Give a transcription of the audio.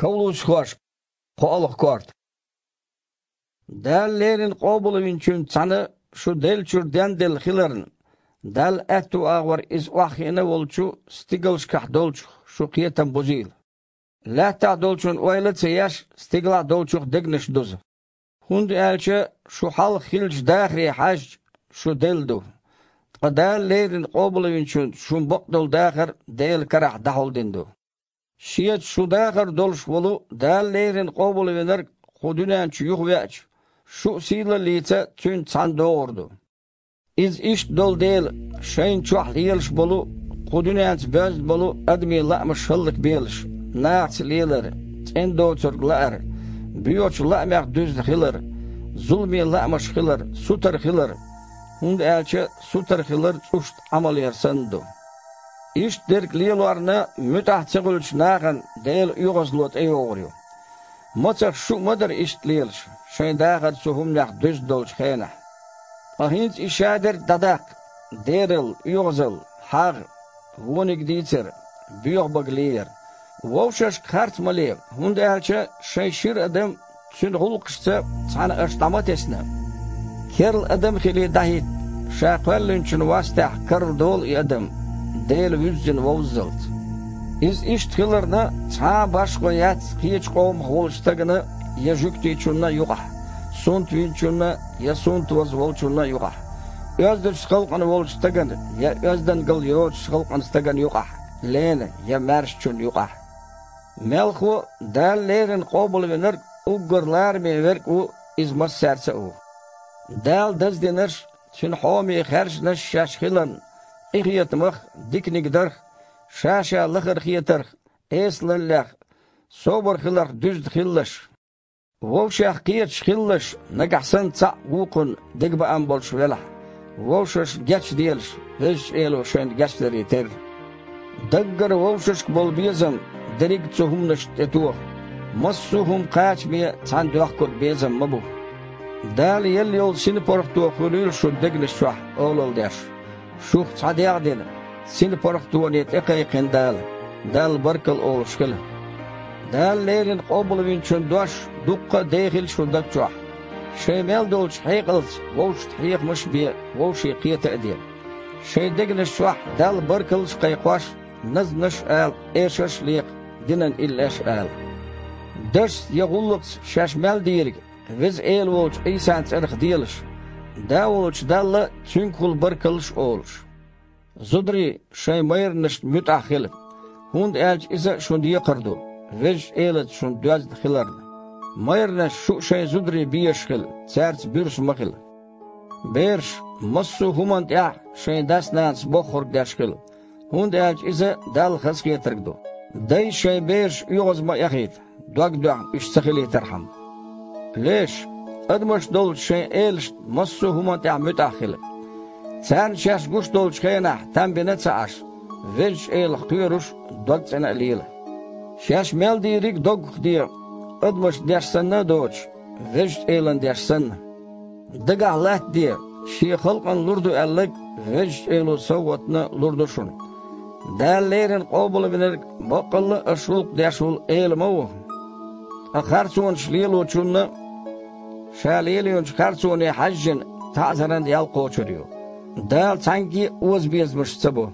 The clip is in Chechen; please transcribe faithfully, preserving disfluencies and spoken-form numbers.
Колоссхошка кхоалгӀа корта. Дала леррина къобалвинчуьнца цхьаьна шу деллачуьра денделла хиларна, Далла аьтту агӀор иза охьахиъна волчу стигалшкахь долчух шу кхетам бузийла. Лаьттахь долчун ойла а ца еш, стигалахь долчух дегнаш дуза. ХӀунда аьлча шу хьалха хиллачу дахаре хьаьжча, шу делла ду. Ткъа Дала леррина къобалвинчуьнца шун бакъдолу дахар Делан карахь дӀахьулдина ду. Шеца шу дахар долуш волу Дала леррина къобалвинарг кху дуьнен чу юхавеача, шу а сийлаллица цуьнца цхьаьна догӀур ду. Иза иштта долу дела, шайна чохь лелаш болу, кху дуьненца боьзна болу адамийн лаамаш хӀаллакбелаш: нахаца лелар, цӀена доцург лаар, боьхачу лаамех дуьзна хилар, зуламе лаамаш хилар, сутара хилар, хӀунда аьлча сутара хилар цӀушна Ӏамал яр санна ду. Иштта дерг лелорна муьтӀахь ца хуьлучу нахана Делан оьгӀазло тӀейогӀур ю. Мацах шу а ма дара иштта лелаш, шайн дахар цу хӀуманех дуьзна долчу хенахь. Ткъа хӀинца и шадерг а дӀадаккха: дералла, оьгӀазалла, хьагӀ, вониг дийцар, боьха бага леяр. Вовшашка харц ма ле, хӀунда аьлча шайн шира адам, цуьнан гӀуллакхашца цхьаьна аша дӀа ма тесна. Керла адам хилий дӀахӀитта, ша кхоьллинчун вастехь карладолу и адам, Дела вуьззина вовззалц. Иза иштта хиларна, цхьа а башхо яц кхечу къомах волчу стагана я жуьгтичунна юкъахь, сунтвинчунна я сунтваза волчунна юкъахь, оьздачу халкъана волчу стагана я оьздангалла йоцучу халкъана стагана юкъахь, лена я маьршачунна юкъахь. Мелхо а, Дала леррина къобалвинарг уггар лараме верг а ву, иза массаьрца а ву. Дала даздинарш, Цуьнан хьоме хаьржинарш шаьш хиларна, къинхетамах, диканиг дарх, ша-ша лахара хетарх, эсалаллех, собар хиларх дуьзна хилалаш. Вовшех кхеташ хилалаш, нагахь санна цхьаъ вукхунна дегабаам болуш велахь, вовшашна гечделаш, Везачу Эло шайна гечдаре терра. Даггара вовшашка болу безам дерриг а цу хӀуманашна тӀетоха. Массо а хӀума кхачаме цхьаьна доьхкург безам ма бу. Дала елла йолу синпаргӀато хуьлийла шун дегнаш чохь олалла деш. Шух цхьа дегӀ дина, синпаргӀатоне тӀекхайкхина Дала, Далла баркалла олуш хила. Дала леррина къобалвинчун дош дуккха а дехийла шун даг чохь. Шайн мел долчу хьекъалца вовшашна хьехамаш а бе, вовшийн кхета а де. Шайн дегнаш чохь Далла баркаллаш а кхайкхош, назманаш а ала, эшарш а лекха, динан иллеш а ала. Дашца я гӀуллакхца шаьш мел дийриг Веза Эла волчу Ӏийсан цӀарах делаш, Да волчу Далла Цуьнгахула баркаллаш а олуш. Зударий, шайн майранашна муьтӀахь хила, хӀунда аьлча иза шун декхар ду, Везачу Элаца шун доьзна хиларна. Майранаш, шу а шайн зударий безаш хила, цаьрца буьрса ма хила. Бераш, массо а хӀуманна тӀехь шайн дас-нанас бохург деш хила, хӀунда аьлча иза Далла хазахетарг ду. Дайша шайн бераш оьгӀаз ма эхийта, дог доьхна уьш ца хилийтархьама. Леш, адамаш долчу шайн элашна массо а хӀуманна тӀехь муьтӀахь хила. Царна шаьш гуш долчу хенахь там бина а ца Ӏаш, Везачу Элах кхоьруш, дог цӀена а лела. Шаьш мел дийриг а доггах де, адамашна деш санна а доцуш, Везачу Элана деш санна. Дагахь латтаде, Шен халкъана лур ду аьлларг Везачу Эло совгӀатна лур ду шуна. Дала леррина къобалвинарг баккъалла а аша гӀуллакх деш волу Эла ма ву. Ткъа харцонаш лелочунна Ша лелийначу харцоне хьаьжжина таӀзаран ял кхочур ю. Дала цхьаьнгге а озабезамаш ца бо.